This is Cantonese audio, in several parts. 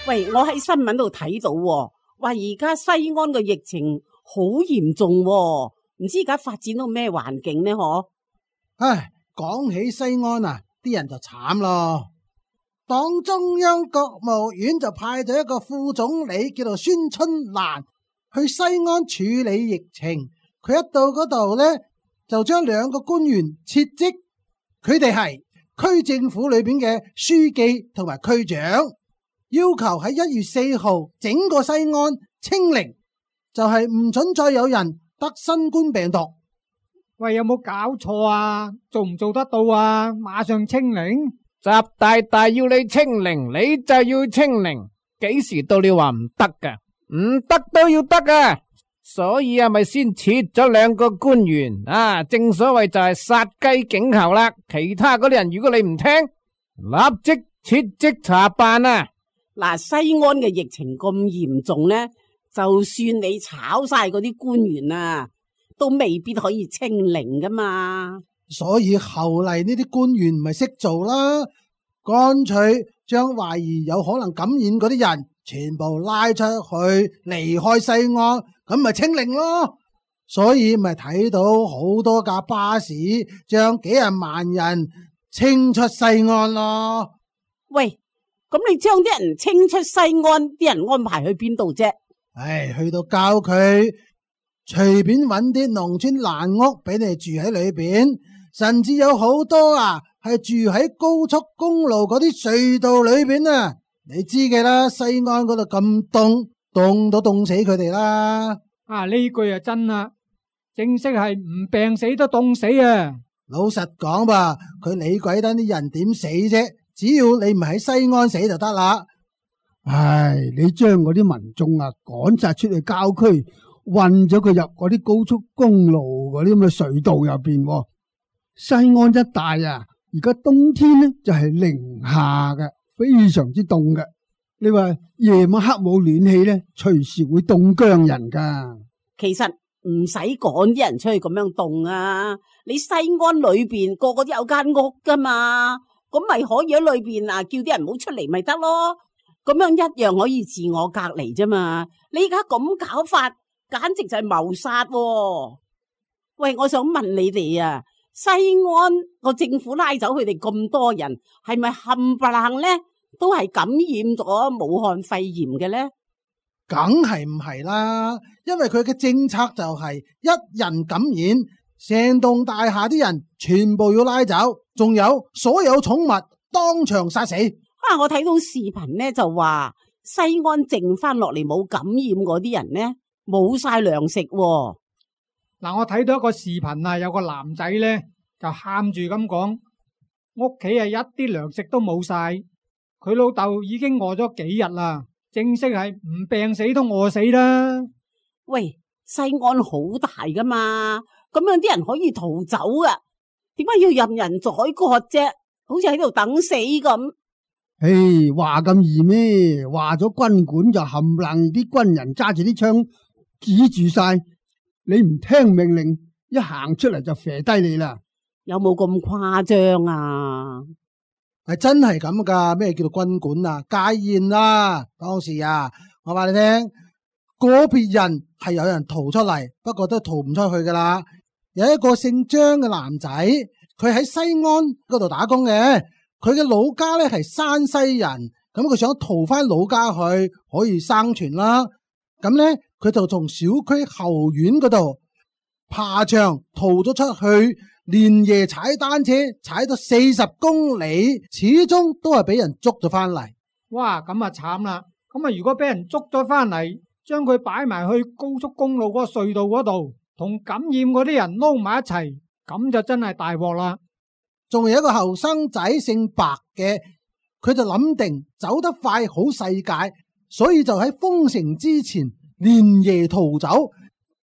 喂，我喺新聞度睇到喎，話而家西安嘅疫情好嚴重喎，唔知而家發展到咩環境呢？嗬？唉，講起西安啊，啲人就慘咯。黨中央國務院就派咗一個副總理叫做孫春蘭去西安處理疫情。佢一到嗰度呢，就將兩個官員撤職，佢哋係區政府裏邊嘅書記同埋區長，要求喺1月4號整個西安清零，就係唔准再有人得新冠病毒。喂，有冇搞錯啊？做唔做得到啊？馬上清零？習大大要你清零，你就要清零，幾時到你話唔得噶？唔得都要得噶，所以咪先撤咗兩個官員啊！正所謂就係殺雞儆猴啦。其他嗰啲人如果你唔聽，立即撤職查辦啊！嗱，西安嘅疫情咁嚴重呢，就算你炒晒嗰啲官員啊，都未必可以清零噶嘛。所以後嚟呢啲官員唔係識做啦，乾脆將懷疑有可能感染嗰啲人全部拉出去離開西安，咁咪清零咯。所以咪睇到好多架巴士將幾廿萬人清出西安咯。喂，咁你將啲人清出西安，啲人安排去邊度啫？唉，去到郊區隨便揾啲農村爛屋俾你住喺裏邊，甚至有好多啊係住喺高速公路嗰啲隧道裏邊啊。你知嘅啦，西安嗰度咁凍，凍到凍死佢哋啦。啊，呢句啊真啦，正式係唔病死都凍死啊！老實講吧，佢理鬼得啲人點死啫？只要你唔喺西安死就得啦。唉，你將嗰啲民眾啊趕晒出去郊區，運咗佢入嗰啲高速公路嗰啲咁嘅隧道入邊。西安一帶啊，而家冬天呢就係零下嘅，非常之凍嘅。你話夜晚黑冇暖氣呢，隨時會凍僵人噶。其實唔使趕啲人出去咁樣凍啊，你西安裏邊個個都有間屋噶嘛，咁咪可以喺裏邊啊叫啲人唔好出嚟咪得咯，咁樣一樣可以自我隔離啫嘛。你而家咁搞法，簡直就係謀殺喎。喂，我想問你哋啊，西安個政府拉走佢哋咁多人，係咪冚唪唥呢都係感染咗武漢肺炎嘅呢？梗係唔係啦，因為佢嘅政策就係一人感染，成棟大廈啲人全部要拉走，仲有所有寵物當場殺死。我睇到視頻呢就話西安剩翻落嚟冇感染嗰啲人呢，冇晒糧食喎。嗱，我睇到一個視頻啊，有個男仔呢就喊住咁講，屋企啊一啲糧食都冇晒，佢老豆已經餓咗幾日啦，正式係唔病死都餓死啦。喂，西安好大噶嘛，咁樣啲人可以逃走啊，點解要任人宰割啫？好似喺度等死咁。唉，話咁易咩？話咗軍管就冚唪唥啲軍人揸住啲槍指住晒，你唔聽命令，一行出嚟就射低你啦。有冇咁誇張啊？係真係咁噶？咩叫做軍管啊？戒嚴啦！當時啊，我話你聽，個別人係有人逃出嚟，不過都逃唔出去噶啦。有一個姓張嘅男仔，佢喺西安嗰度打工嘅，佢嘅老家咧係山西人，咁佢想逃翻老家去可以生存啦。咁咧佢就從小區後院嗰度爬牆逃咗出去，連夜踩單車踩咗40公里，始終都係俾人捉咗翻嚟。哇，咁啊慘啦！咁啊如果俾人捉咗翻嚟，將佢擺埋去高速公路嗰個隧道嗰度，同感染嗰啲人撈埋一齊，咁就真係大鑊啦。仲有一個後生仔姓白嘅，佢就諗定走得快好世界，所以就喺封城之前連夜逃走，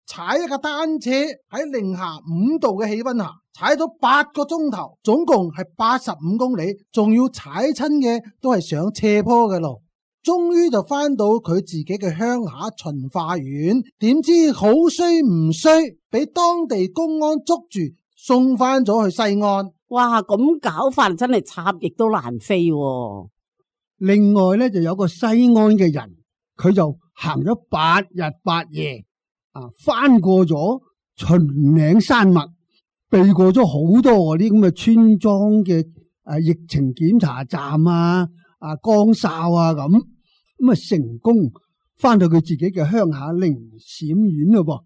踩一架單車喺零下5度嘅氣溫下踩咗8個鐘頭，總共係85公里，仲要踩親嘅都係上斜坡嘅路，終於就翻到佢自己嘅鄉下循化縣。點知好衰唔衰，俾當地公安捉住，送翻咗去西安。哇，咁搞法真係插翼都難飛喎。另外咧就有個西安嘅人，佢就行咗8日8夜，翻過咗秦嶺山脈，避過咗好多嗰啲咁嘅村莊嘅疫情檢查站崗哨咁成功翻到佢自己嘅鄉下靈閃縣咯噃，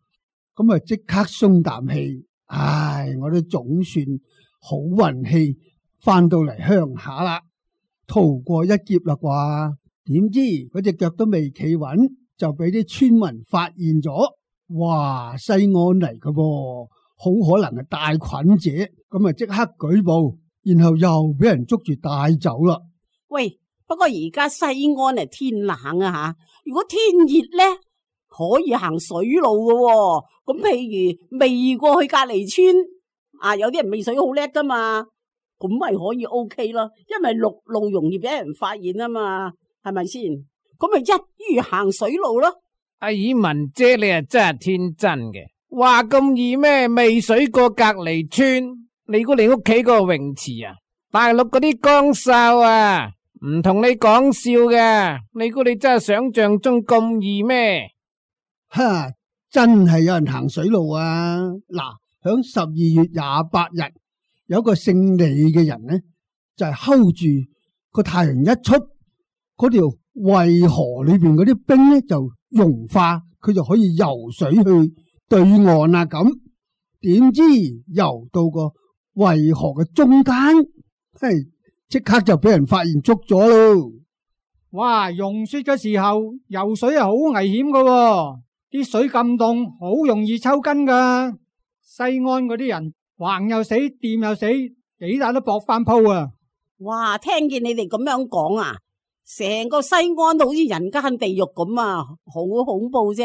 咁即刻鬆啖氣，我都總算好運氣翻到嚟鄉下啦，逃過一劫啦啩？點知嗰隻腳都未企穩，就俾啲村民發現咗，哇！西安嚟嘅噃，好可能係帶菌者，咁即刻舉報，然後又俾人捉住帶走啦。喂，不過而家西安係天冷啊吓，如果天熱咧，可以行水路嘅喎。咁譬如未過去隔離村有啲人未水好叻噶嘛，咁咪可以 OK 咯，因為陸路容易俾人發現啊嘛，係咪先？咁咪一於行水路咯。阿爾文姐，你啊真係天真嘅，話咁易咩？未水過隔離村，你估你屋企個泳池大陸嗰啲崗哨唔同你講笑嘅，你估你真係想象中咁易咩？真係有人行水路啊！嗱，響12月28日，有個姓李嘅人呢，就係 hold 住個太陽一出，嗰條渭河裏邊嗰啲冰呢就融化，佢就可以游水去對岸啦。咁點知游到個渭河嘅中間，即刻就俾人發現捉咗咯！哇，融雪嘅時候游水係好危險噶喎，啲水咁凍，好容易抽筋噶。西安嗰啲人橫又死，掂又死，幾大都搏翻鋪啊！哇，聽見你哋咁樣講成個西安都好似人間地獄咁好恐怖啫。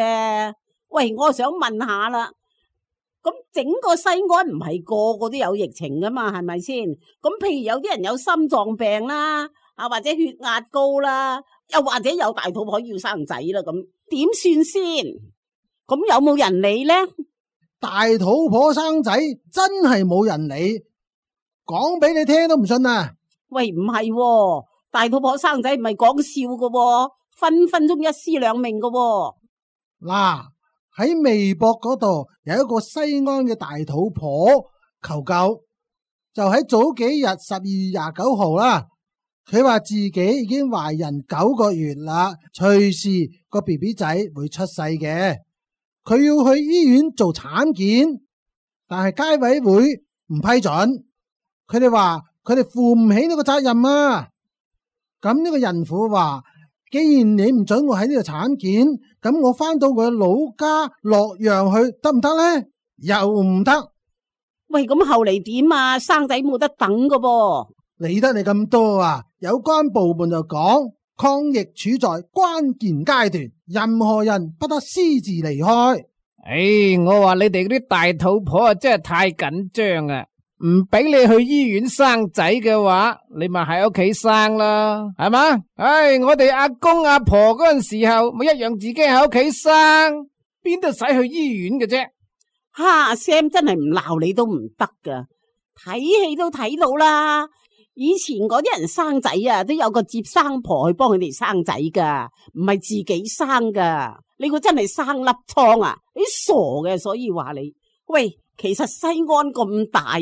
喂，我想問下啦，咁整個西安唔係個個都有疫情噶嘛，係咪先？咁譬如有啲人有心臟病啦，或者血壓高啦，又或者有大肚婆要生仔啦，咁點算先？咁有冇人理呢？大肚婆生仔真係冇人理，講俾你聽都唔信啊！喂，唔係喎，大肚婆生仔唔係講笑噶喎，分分鐘一屍兩命噶喎。嗱，喺微博嗰度有一個西安嘅大肚婆求救，就喺早幾日12月29號啦。佢話自己已經懷孕9個月啦，隨時個 BB 仔會出世嘅。佢要去醫院做產檢，但係街委會唔批准。佢哋話佢哋負唔起呢個責任啊。咁呢個孕婦話，既然你唔准我喺呢度產檢，咁我翻到我老家洛陽去得唔得呢？又唔得。喂，咁後嚟點啊？生仔冇得等噶噃。理得你咁多啊！有關部門就講，抗疫處在關鍵階段，任何人不得私自離開。我話你哋嗰啲大肚婆真係太緊張啊！唔俾你去醫院生仔嘅話，你咪喺屋企生啦，係嘛？我哋阿公阿婆嗰陣時候咪一樣自己喺屋企生，邊度使去醫院嘅啫？Sam 真係唔鬧你都唔得噶，睇戲都睇到啦。以前嗰啲人生仔都有個接生婆去幫佢哋生仔噶，唔係自己生噶。你估真係生粒瘡啊？你傻嘅，所以話你。喂，其實西安咁大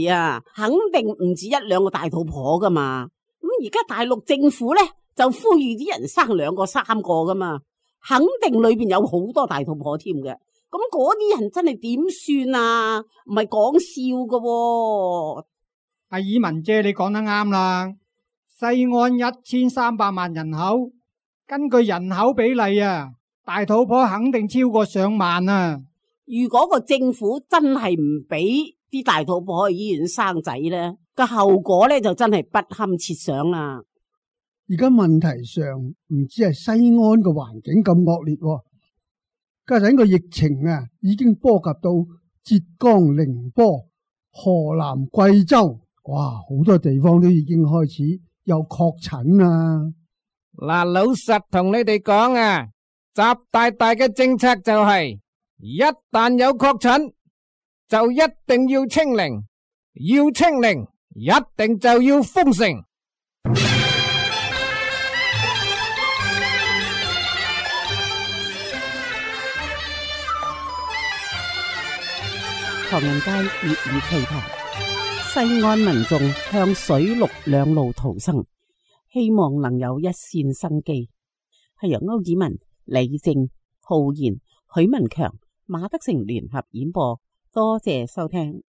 肯定唔止1、2個大肚婆噶嘛。咁而家大陸政府咧就呼籲啲人生2個、3個噶嘛，肯定裏邊有好多大肚婆添嘅。咁嗰啲人真係點算啊？唔係講笑噶喎。阿爾文姐，你講得啱啦。西安1300萬人口，根據人口比例大肚婆肯定超過上萬啊。如果個政府真係唔俾啲大肚婆去醫院生仔咧，個後果咧就真係不堪設想啦。而家問題上唔止係西安嘅環境咁惡劣，加上個疫情已經波及到浙江寧波、河南貴州。哇，好多地方都已經開始有確診啦。嗱，老實同你哋講習大大嘅政策就係，一旦有確診就一定要清零，要清零一定就要封城。唐人街粵語趣談。西安民眾向水陸兩路逃生，希望能有一線生機。係由歐子文、李正、浩然、許文強、馬德成聯合演播，多謝收聽。